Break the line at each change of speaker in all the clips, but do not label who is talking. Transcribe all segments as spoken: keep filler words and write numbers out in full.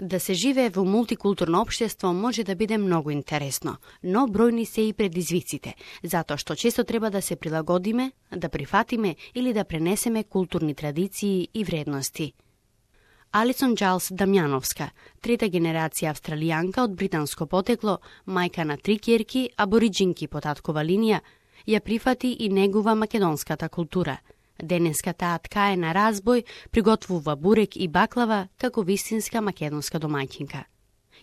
Да се живее во мултикултурно општество може да биде многу интересно, но бројни се и предизвиците, затоа што често треба да се прилагодиме, да прифатиме или да пренесеме културни традиции и вредности. Алисон Джайлс Дамјановска, трета генерација австралијанка од британско потекло, мајка на три ќерки, абориџинки по таткова линија, ја прифати и негува македонската култура. Денеска таа ткае на разбој, приготвува бурек и баклава како вистинска македонска домаќинка.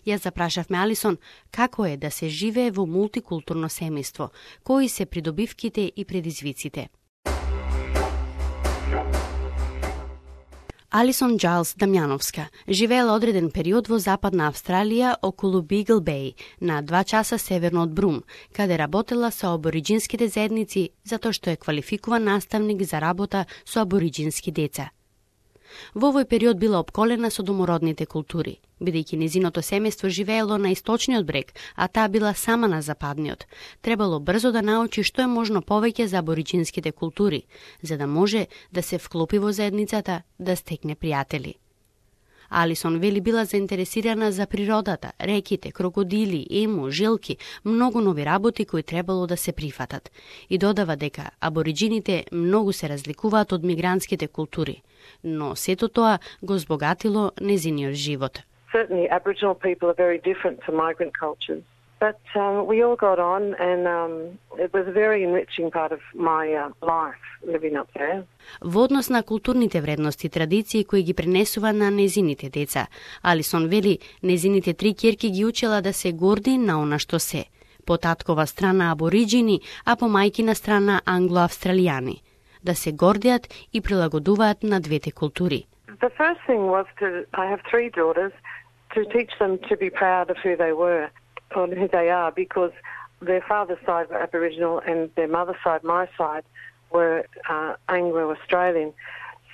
Јас запрашавме Алисон како е да се живее во мултикултурно семејство, кои се придобивките и предизвиците. Алисон Джайлс Дамјановска живеела одреден период во Западна Австралија околу Бигл Беј, на два часа северно од Брум, каде работела со абориџинските заедници затоа што е квалификуван наставник за работа со абориџински деца. Во овој период била опколена со домородните култури, бидејќи незиното семејство живеело на источниот брег, а таа била сама на западниот. Требало брзо да научи што е можно повеќе за абориџинските култури, за да може да се вклопи во заедницата, да стекне пријатели. Алисон вели била заинтересирана за природата, реките, крокодили, ему, жилки, многу нови работи кои требало да се прифатат. И додава дека абориџините многу се разликуваат од мигрантските култури, но сето тоа го збогатило незиниот живот.
Certainly Aboriginal people are very different to migrant cultures. But um, we all got on, and um, it was a very enriching part of my uh, life living up there.
Во однос на културните вредности и традиции кои ги пренесува на незините деца, Алисон вели незините три ќерки ги учела да се горди на она што се. По таткова страна абориџини, а по мајкина страна англо-австралијани. Да се гордиат и прилагодуваат на двете култури.
The first thing was to, I have three daughters, to teach them to be proud of who they were, or who they are, because their father's side were Aboriginal and their mother's side, my side, were uh, Anglo-Australian.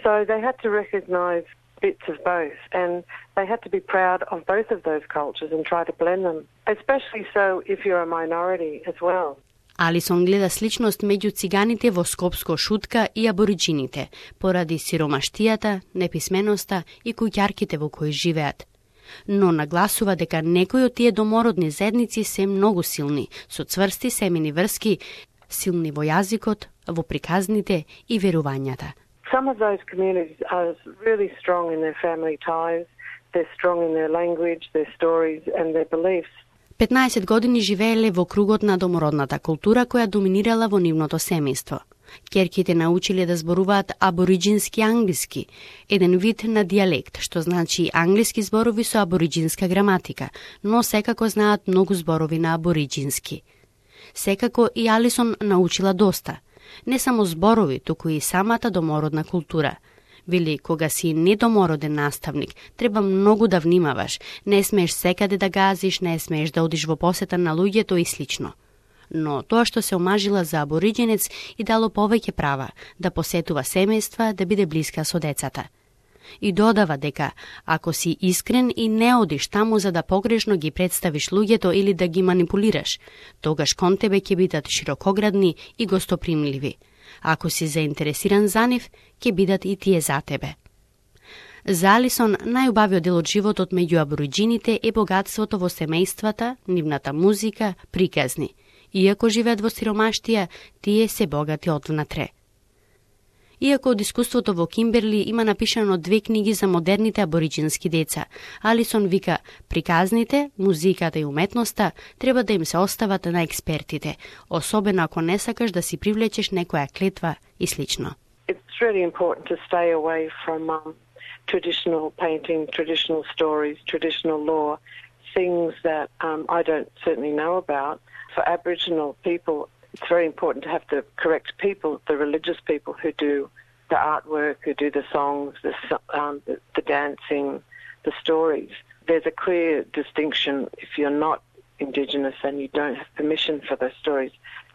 So they had to recognise bits of both, and they had to be proud of both of those cultures and try to blend them, especially so if you're a minority as well.
Алисон гледа сличност меѓу циганите во Скопско Шутка и абориџините, поради сиромаштијата, неписменоста и куќарките во кои живеат. Но нагласува дека некои од тие домородни заедници се многу силни, со цврсти семени врски, силни во јазикот, во приказните и верувањата.
Some of those communities are really strong in their family ties, they're strong in their language, their stories and their beliefs.
петнаесет години живееле во кругот на домородната култура која доминирала во нивното семејство. Ќерките научиле да зборуваат абориџински англиски, еден вид на дијалект, што значи англиски зборови со абориџинска граматика, но секако знаат многу зборови на абориџински. Секако и Алисон научила доста. Не само зборови, туку и самата домородна култура. Вели, кога си недомороден наставник, треба многу да внимаваш, не смееш секаде да газиш, не смееш да одиш во посета на луѓето и слично. Но тоа што се омажила за абориџенец и дало повеќе права, да посетува семејства, да биде блиска со децата. И додава дека, ако си искрен и не одиш таму за да погрешно ги представиш луѓето или да ги манипулираш, тогаш кон тебе ќе бидат широкоградни и гостопримливи. Ако си заинтересиран за нив, ќе бидат и тие за тебе. За Алисон, најубавиот дел од животот меѓу абориџините е богатството во семејствата, нивната музика, приказни. Иако живеат во сиромаштија, тие се богати одвнатре. Иако од искуството во Кимберли има напишано две книги за модерните абориџински деца, Алисон вика, приказните, музиката и уметноста треба да им се остават на експертите, особено ако не сакаш да си привлечеш некоја клетва и слично.
It's really important to stay away from um, traditional painting, traditional stories, traditional law, things that um, I don't certainly know about. For Aboriginal people, it's very important to have the correct people, the religious people who do the artwork, who do the songs, the, um, the, the dancing, the stories. There's a clear distinction if you're not Indigenous and you don't have permission for those stories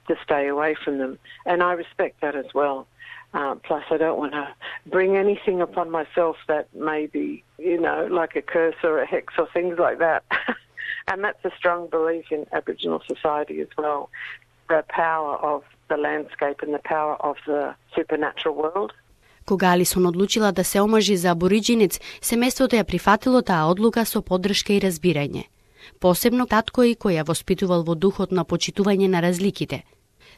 to stay away from them. And I respect that as well. Uh, plus, I don't want to bring anything upon myself that may be, you know, like a curse or a hex or things like that. And that's a strong belief in Aboriginal society as well. The power of the landscape and the power of the supernatural world.
Кога Алисон одлучила да се омажи за абориджинец, семејството ја прифатило таа одлука со поддршка и разбирање. Посебно таткој кој ја воспитувал во духот на почитување на разликите.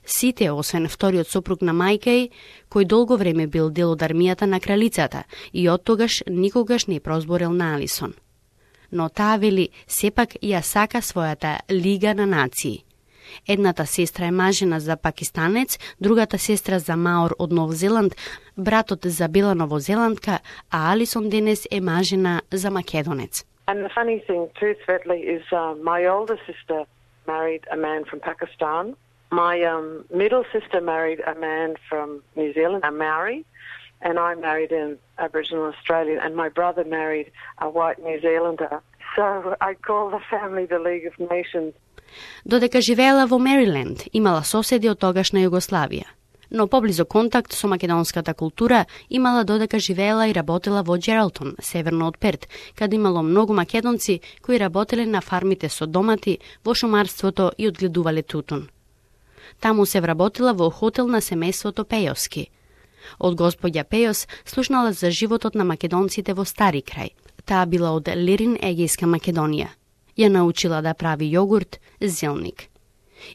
Сите, освен вториот сопруг на мајка ѝ, кој долго време бил дел од армијата на кралицата и оттогаш никогаш не прозборел на Алисон. Но таа вели сепак ја сака својата лига на нации. Едната сестра е мажена за пакистанец, другата сестра за маор од Нов Зеланд, братот за бела новозеландка, а Алисон денес е мажена за македонец.
And the funny thing too, Svetli, is uh, my older sister married a man from Pakistan. My um, middle sister married a man from New Zealand, a Maori, and I married an Aboriginal Australian, and my brother married a white New Zealander. So I call the family the League of Nations.
Додека живеела во Мериленд, имала соседи од тогашна Југославија. Но поблизо контакт со македонската култура имала додека живеела и работела во Джералтон, северно од Перт, каде имало многу македонци кои работеле на фармите со домати, во шумарството и одгледувале тутун. Таму се вработила во хотел на семејството Пејовски. Од господја Пејос слушнала за животот на македонците во Стари крај. Таа била од Лерин, Егејска Македонија. Ја научила да прави јогурт, зелник.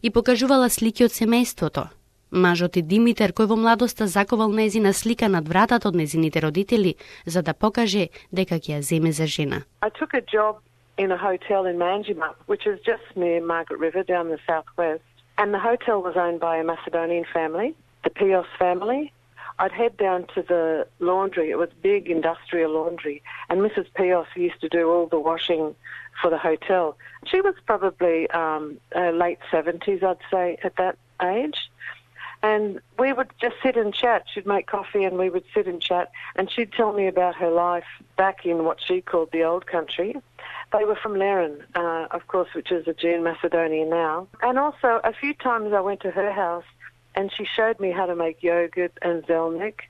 И покажувала слики од семејството. Мажот и Димитар, кој во младоста заковал нејзина слика над вратата од нејзините родители, за да покаже дека ќе ја земе за жена.
I took a job in a hotel in Manjimup, which is just near Margaret River down the southwest. And the hotel was owned by a Macedonian family, the Pios family. I'd head down to the laundry. It was big industrial laundry. And Missus Pios used to do all the washing for the hotel. She was probably um, uh, late seventies, I'd say, at that age. And we would just sit and chat. She'd make coffee and we would sit and chat. And she'd tell me about her life back in what she called the old country. They were from Lerin, uh, of course, which is Aegean Macedonia now. And also, a few times I went to her house and she showed me how to make yogurt and zelnik.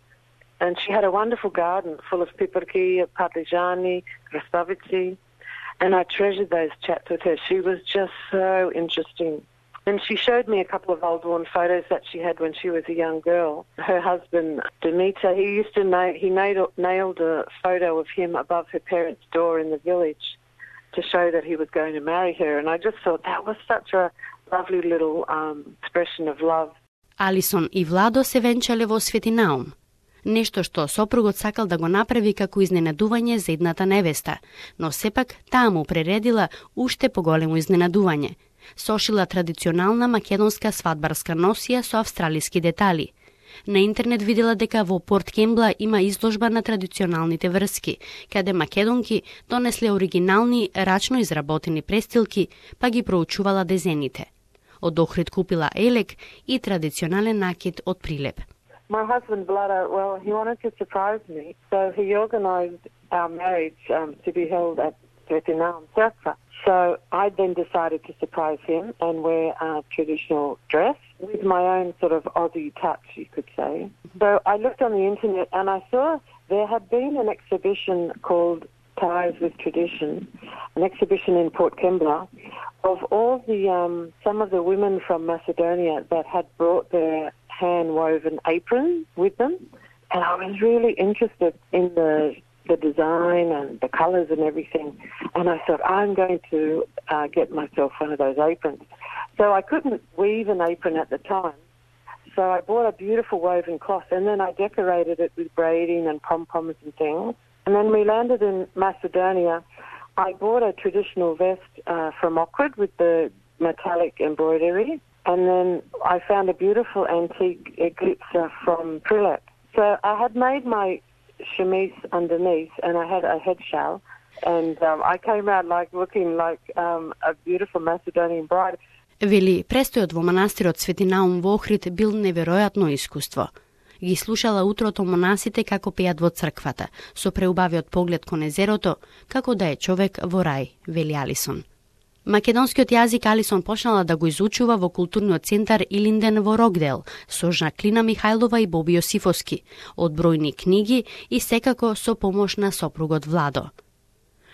And she had a wonderful garden full of piperki, parmigiani, krastavici. And I treasured those chats with her. She was just so interesting. And she showed me a couple of old worn photos that she had when she was a young girl. Her husband, Dimitar, he used to na- he nailed, nailed a photo of him above her parents' door in the village to show that he was going to marry her. And I just thought that was such a lovely little um, expression of love.
Алисон и Владо се венчале во Светинаум. Нешто што сопругот сакал да го направи како изненадување за едната невеста, но сепак таа му прередила уште поголемо изненадување. Сошила традиционална македонска свадбарска носија со австралиски детали. На интернет видела дека во Порт Кембла има изложба на традиционалните врски, каде македонки донесле оригинални рачно изработени престилки, па ги проучувала дезените. Од Охрид купила елек и традиционален накид од прилеп.
My husband, Vlado, well, he wanted to surprise me, so he organised our marriage um, to be held at Svetinam, Srpska. So I then decided to surprise him and wear a traditional dress with my own sort of Aussie touch, you could say. So I looked on the internet and I saw there had been an exhibition called Ties with Tradition, an exhibition in Port Kembla of all the um, some of the women from Macedonia that had brought their hand-woven aprons with them. And I was really interested in the the design and the colours and everything. And I thought, I'm going to uh, get myself one of those aprons. So I couldn't weave an apron at the time. So I bought a beautiful woven cloth and then I decorated it with braiding and pom-poms and things. And then we landed in Macedonia. I bought a traditional vest uh, from Oxford with the metallic embroidery. And then I found a beautiful antique eclipse from Prilep. So I had made my chemise underneath and I had a head shawl and um, I came out like looking like um, a beautiful Macedonian bride.
Вели, престојот во манастирот Светинаум во Охрид бил неверојатно искуство. Ги слушала утрото монасите како пеат во црквата, со преубавиот поглед кон езерото, како да е човек во рај, вели Алисон. Македонскиот јазик Алисон почнала да го изучува во културниот центар Илинден во Рокдел со Жаклина Михајлова и Боби Јосифовски, од бројни книги и секако со помош на сопругот Владо.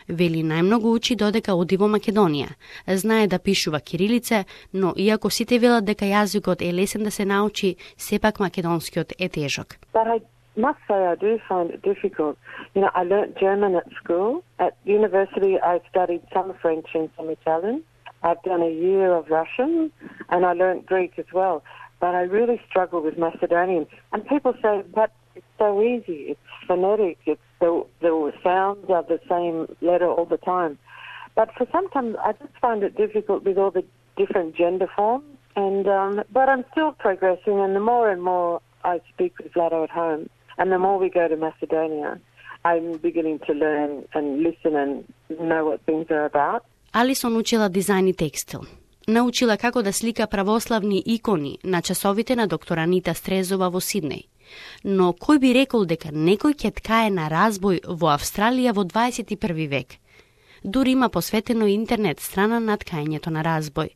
Вели, најмногу учи додека оди во Македонија. Знае да пишува кирилица, но иако сите велат дека јазикот е лесен да се научи, сепак македонскиот е тежок.
But I must say I do find it difficult. You know, I learnt German at school. At university, I studied some French and some Italian. I've done a year of Russian, and I learnt Greek as well. But I really struggle with Macedonian. And people say, but it's so easy. It's phonetic. It's the, the sounds are the same letter all the time. But for sometimes, I just find it difficult with all the different gender forms. And um, but I'm still progressing, and the more and more I speak with Vlado at home, and the more we go to Macedonia, I'm beginning to learn and listen and know what things are about.
Алисон учила дизајн и текстил. Научила како да слика православни икони на часовите на доктор Анита Стрезова во Сиднеј. Но кој би рекол дека некој ќе ткае на разбој во Австралија во дваесет и први век? Дури има посветено интернет страна на ткањето на разбој.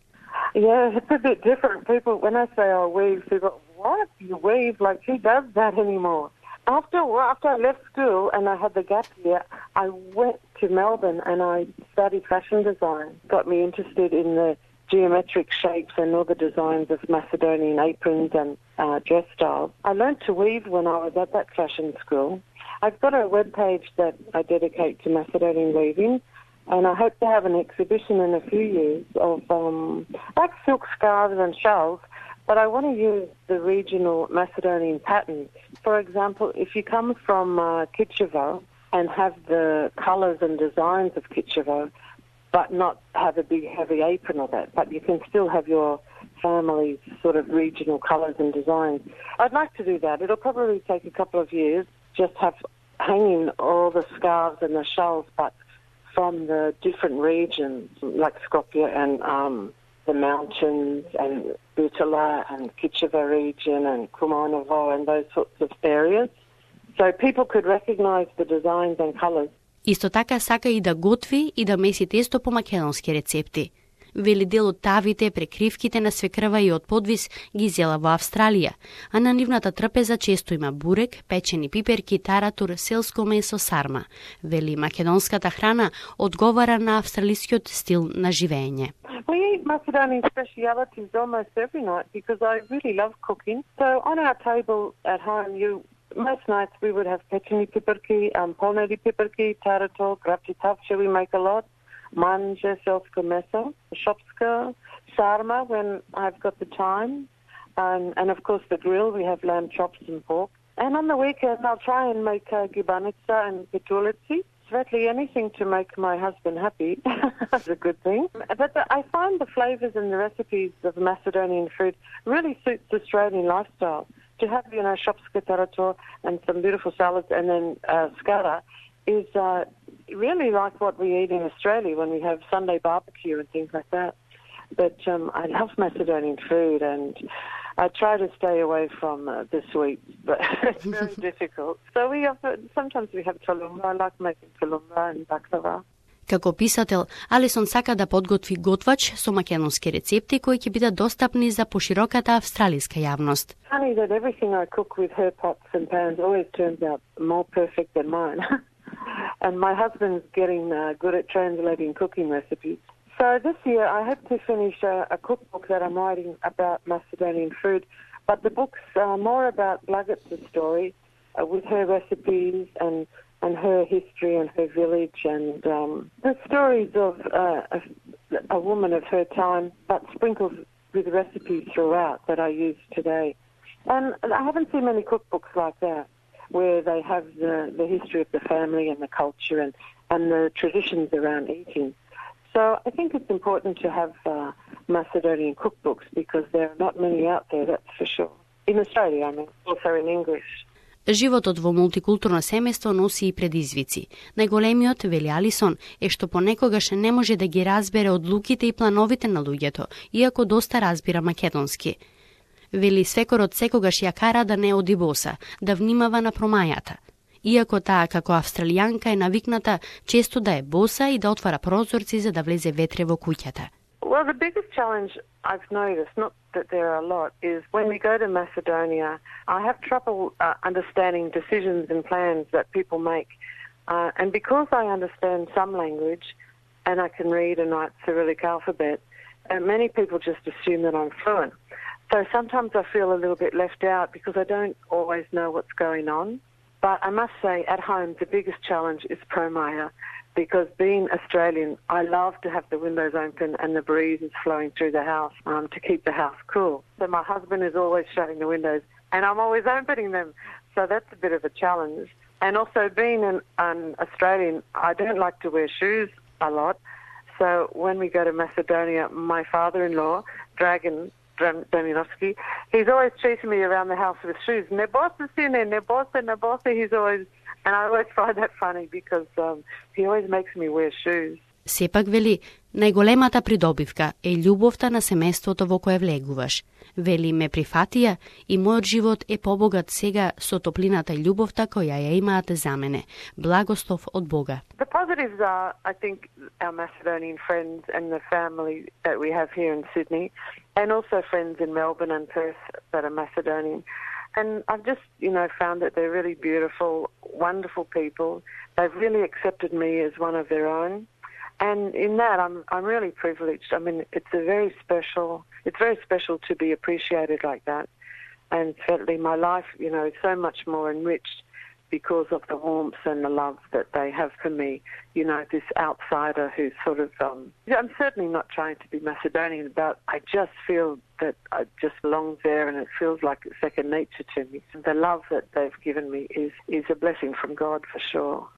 Yeah, it's a bit different. People, when I say I weave, people, what? You weave? Like, who does that anymore? After after I left school and I had the gap year, I went to Melbourne and I studied fashion design. Got me interested in the geometric shapes and all the designs of Macedonian aprons and uh, dress styles. I learned to weave when I was at that fashion school. I've got a web page that I dedicate to Macedonian weaving, and I hope to have an exhibition in a few years of um, like silk scarves and shawls, but I want to use the regional Macedonian patterns. For example, if you come from uh, Kitchevo and have the colours and designs of Kitchevo, but not have a big heavy apron of that, but you can still have your family's sort of regional colours and designs. I'd like to do that. It'll probably take a couple of years, just have hanging all the scarves and the shawls, but from the different regions, like Skopje and um, the mountains and Butala and Kitchevo region and Kumanovo and those sorts of areas. So people could recognise the designs and colours.
Исто така сака и да готви и да меси тесто по македонски рецепти. Вели дел од тавите, прекривките на свекрва и од подвис ги зела во Австралија, а на нивната трпеза често има бурек, печени пиперки, таратур, селско месо, сарма. Вели македонската храна одговара на австралискиот стил на живење.
We eat Macedonian specialities almost every night because I really love cooking. So on our table at home, you most nights we would have pečeni piperki, um, polneri piperki, tarator, grapti tavče, we make a lot. Manje, selsko meso, shopska, sarma when I've got the time, um, and of course the grill, we have lamb chops and pork. And on the weekend I'll try and make uh, gibanica and petulici. Certainly anything to make my husband happy. That's a good thing. But the, I find the flavours and the recipes of Macedonian food really suits the Australian lifestyle. To have, you know, shopska tarator and some beautiful salads and then uh, skara is uh, really like what we eat in Australia when we have Sunday barbecue and things like that. But um, I love Macedonian food and I try to stay away from uh, the sweets, but it's very difficult. So we have, sometimes we have tolumba. I like making tolumba and baklava.
Како писател, Алисон сака да подготви готвач со македонски рецепти кои ќе бидат достапни за пошироката австралиска јавност.
Funny that everything I cook with her pots and pans always turns out more perfect than mine. And my husband's getting uh, good at translating cooking recipes. So this year I hope to finish a, a cookbook that I'm writing about Macedonian food, but the book's uh, more about Blagot's story uh, with her recipes and and her history and her village and um, the stories of uh, a, a woman of her time, but sprinkled with recipes throughout that I use today. And I haven't seen many cookbooks like that, where they have the, the history of the family and the culture and, and the traditions around eating. So I think it's important to have uh, Macedonian cookbooks because there are not many out there, that's for sure. In Australia, I mean, also in English.
Животот во мултикултурно семејство носи и предизвици. Најголемиот, вели Алисон, е што понекогаш не може да ги разбере одлуките и плановите на луѓето, иако доста разбира македонски. Вели свекорот секогаш ја кара да не оди боса, да внимава на промајата. Иако таа како австралијанка е навикната често да е боса и да отвара прозорци за да влезе ветре во куќата.
Well, the biggest challenge I've noticed, not that there are a lot, is when we go to Macedonia, I have trouble uh, understanding decisions and plans that people make. Uh, and because I understand some language and I can read and write Cyrillic alphabet, uh, many people just assume that I'm fluent. So sometimes I feel a little bit left out because I don't always know what's going on. But I must say, at home, the biggest challenge is Promaya, because being Australian, I love to have the windows open and the breeze is flowing through the house um, to keep the house cool. So my husband is always shutting the windows and I'm always opening them. So that's a bit of a challenge. And also being an, an Australian, I don't like to wear shoes a lot. So when we go to Macedonia, my father-in-law, Dragan Dominovsky, he's always chasing me around the house with shoes. Ne boste sine, ne boste, ne boste. He's always, and I always find that funny because um, he always makes me wear shoes.
Сепак вели, најголемата придобивка е љубовта на семејството во кое влегуваш. Вели, ме прифатија и мојот живот е побогат сега со топлината и љубовта која ја имаат за мене. Благослов од Бога.
The positives are, I think, our Macedonian friends and the family that we have here in Sydney, and also friends in Melbourne and Perth that are Macedonian. And I've just, you know, found that they're really beautiful, wonderful people. They've really accepted me as one of their own. And in that, I'm I'm really privileged. I mean, it's a very special. It's very special to be appreciated like that. And certainly, my life, you know, is so much more enriched because of the warmth and the love that they have for me. You know, this outsider who's sort of. Um, I'm certainly not trying to be Macedonian, but I just feel that I just belong there, and it feels like second nature to me. The love that they've given me is is a blessing from God for sure.